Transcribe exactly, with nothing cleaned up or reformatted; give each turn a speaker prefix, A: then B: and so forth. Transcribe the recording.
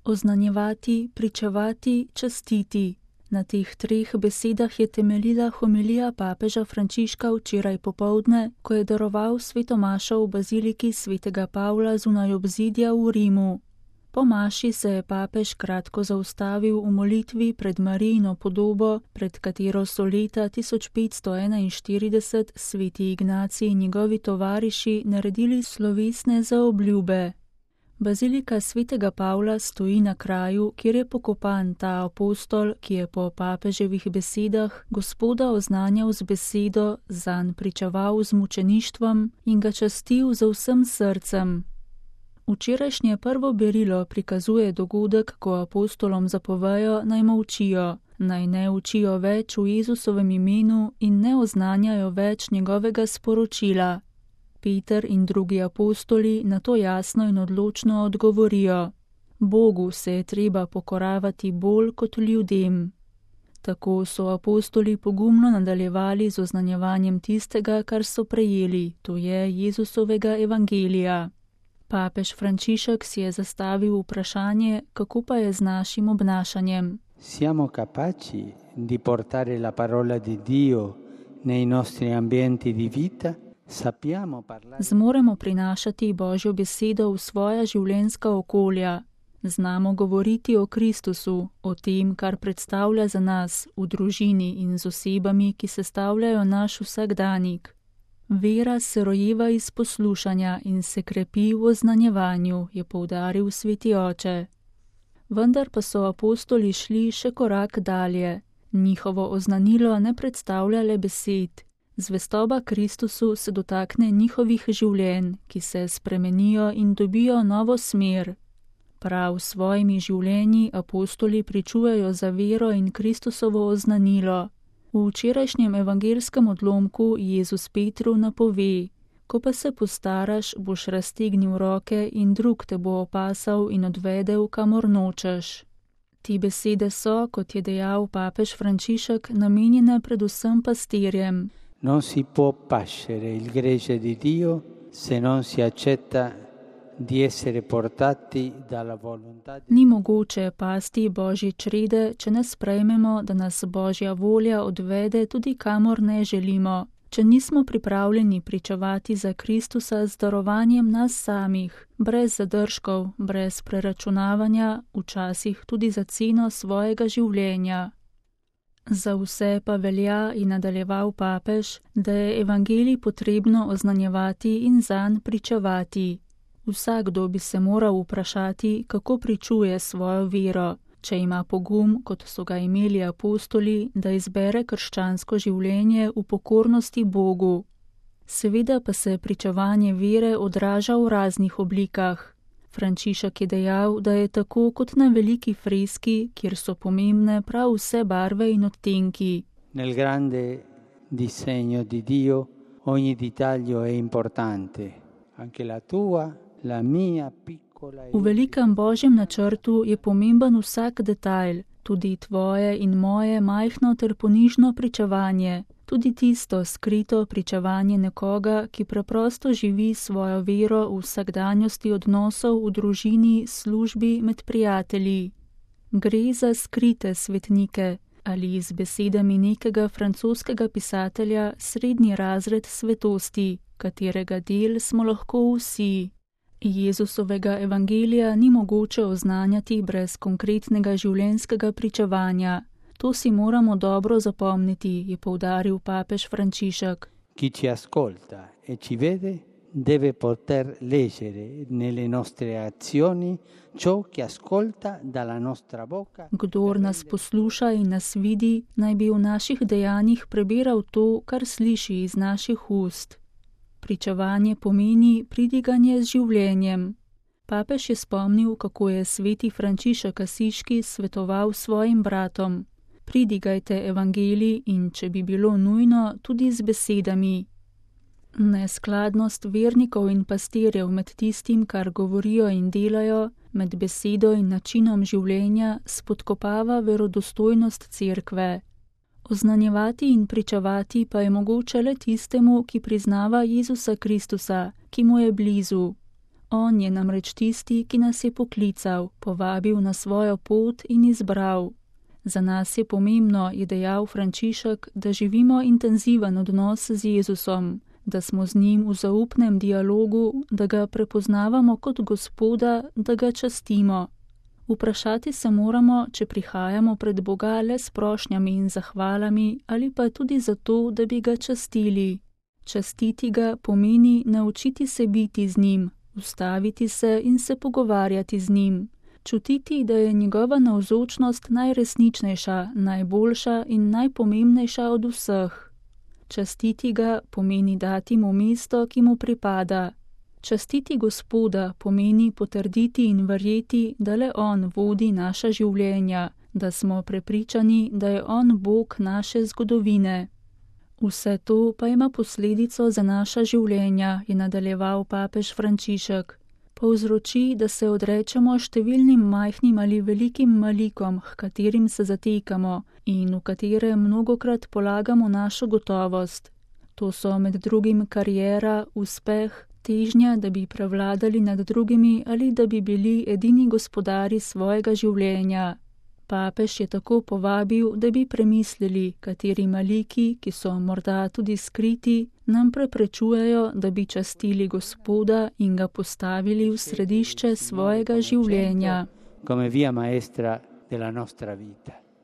A: Oznanjevati, pričevati, častiti. Na teh treh besedah je temeljila homilija papeža Frančiška včeraj popoldne, ko je daroval sveto mašo v baziliki svetega Pavla zunaj obzidja v Rimu. Po maši se je papež kratko zaustavil v molitvi pred Marijino podobo, pred katero so leta tisoč petsto enainštirideset sveti Ignacij in njegovi tovariši naredili slovesne zaobljube. Bazilika svetega Pavla stoji na kraju, kjer je pokopan ta apostol, ki je po papeževih besedah Gospoda oznanjal z besedo, zanj pričeval z mučeništvom in ga častil z vsem srcem. Včerajšnje prvo berilo prikazuje dogodek, ko apostolom zapovejo, naj molčijo, naj ne učijo več v Jezusovem imenu in ne oznanjajo več njegovega sporočila. Peter in drugi apostoli na to jasno in odločno odgovorijo: Bogu se je treba pokoravati bolj kot ljudem. Tako so apostoli pogumno nadaljevali z oznanjevanjem tistega, kar so prejeli, to je Jezusovega evangelija. Papež Frančišek si je zastavil vprašanje, kako pa je z našim obnašanjem.
B: Siamo capaci di portare la parola di Dio nei nostri ambienti di vita? Sappiamo parlare...
A: Zmoremo prinašati Božjo besedo v svoja življenjska okolja. Znamo govoriti o Kristusu, o tem, kar predstavlja za nas v družini in z osebami, ki sestavljajo naš vsakdanik. Vera se rojeva iz poslušanja in se krepi v oznanjevanju, je poudaril sveti oče. Vendar pa so apostoli šli še korak dalje. Njihovo oznanilo ne predstavlja le besed. Zvestoba Kristusu se dotakne njihovih življenj, ki se spremenijo in dobijo novo smer. Prav s svojimi življenji apostoli pričujejo za vero in Kristusovo oznanilo. V včerajšnjem evangelskem odlomku Jezus Petru napove: Ko pa se postaraš, boš raztegnil roke in drug te bo opasal in odvedel, kamor nočeš. Te besede so, kot je dejal papež Frančišek, namenjene predvsem pastirjem.
B: Non si può pascere il gregge di Dio se non si accetta di essere portati dalla volontà di...
A: Ni mogoče pasti Božje črede, če ne sprejmemo, da nas Božja volja odvede tudi kamor ne želimo, če nismo pripravljeni pričevati za Kristusa z darovanjem nas samih, brez zadržkov, brez preračunavanja, včasih tudi za ceno svojega življenja. Za vse pa velja, in nadaljeval papež, da je evangelij potrebno oznanjevati in zanj pričevati. Vsakdo bi se moral vprašati, kako pričuje svojo vero, če ima pogum, kot so ga imeli apostoli, da izbere krščansko življenje v pokornosti Bogu. Seveda pa se pričevanje vere odraža v raznih oblikah. Frančišek je dejal, da je tako kot na veliki freski, kjer so pomembne prav vse barve in odtenki.
B: Nel grande disegno di Dio ogni dettaglio è importante, anche la tua, la mia piccola...
A: V velikem Božjem načrtu je pomemben vsak detajl, tudi tvoje in moje majhno ter ponižno pričevanje, tudi tisto skrito pričevanje nekoga, ki preprosto živi svojo vero v vsakdanjosti odnosov v družini, službi, med prijatelji. Gre za skrite svetnike ali z besedami nekega francoskega pisatelja srednji razred svetosti, katerega del smo lahko vsi. Jezusovega evangelija ni mogoče oznanjati brez konkretnega življenjskega pričevanja. To si moramo dobro zapomniti, je poudaril papež Frančišek.
B: Chi ci ascolta e ci vede deve poter leggere nelle nostre azioni ciò che ascolta dalla nostra bocca.
A: Kdor nas posluša in nas vidi, naj bi v naših dejanjih prebiral to, kar sliši iz naših ust. Pričevanje pomeni pridiganje z življenjem. Papež je spomnil, kako je sveti Frančišek Asiški svetoval svojim bratom. Pridigajte evangelij in, če bi bilo nujno, tudi z besedami. Neskladnost vernikov in pastirjev med tistim, kar govorijo in delajo, med besedo in načinom življenja, spodkopava verodostojnost cerkve. Oznanjevati in pričevati pa je mogoče le tistemu, ki priznava Jezusa Kristusa, ki mu je blizu. On je namreč tisti, ki nas je poklical, povabil na svojo pot in izbral. Za nas je pomembno, je dejal Frančišek, da živimo intenziven odnos z Jezusom, da smo z njim v zaupnem dialogu, da ga prepoznavamo kot Gospoda, da ga častimo. Vprašati se moramo, če prihajamo pred Boga le s prošnjami in zahvalami ali pa tudi zato, da bi ga častili. Častiti ga pomeni naučiti se biti z njim, ustaviti se in se pogovarjati z njim. Čutiti, da je njegova navzočnost najresničnejša, najboljša in najpomembnejša od vseh. Častiti ga pomeni dati mu mesto, ki mu pripada. Častiti Gospoda pomeni potrditi in verjeti, da le on vodi naša življenja, da smo prepričani, da je on Bog naše zgodovine. Vse to pa ima posledico za naša življenja, je nadaljeval papež Frančišek. Povzroči, da se odrečemo številnim majhnim ali velikim malikom, h katerim se zatekamo in v katere mnogokrat polagamo našo gotovost. To so med drugim kariera, uspeh, težnja, da bi prevladali nad drugimi ali da bi bili edini gospodari svojega življenja. Papež je tako povabil, da bi premislili, kateri maliki, ki so morda tudi skriti, nam preprečujejo, da bi častili Gospoda in ga postavili v središče svojega življenja.
B: Come via maestra della nostra vita.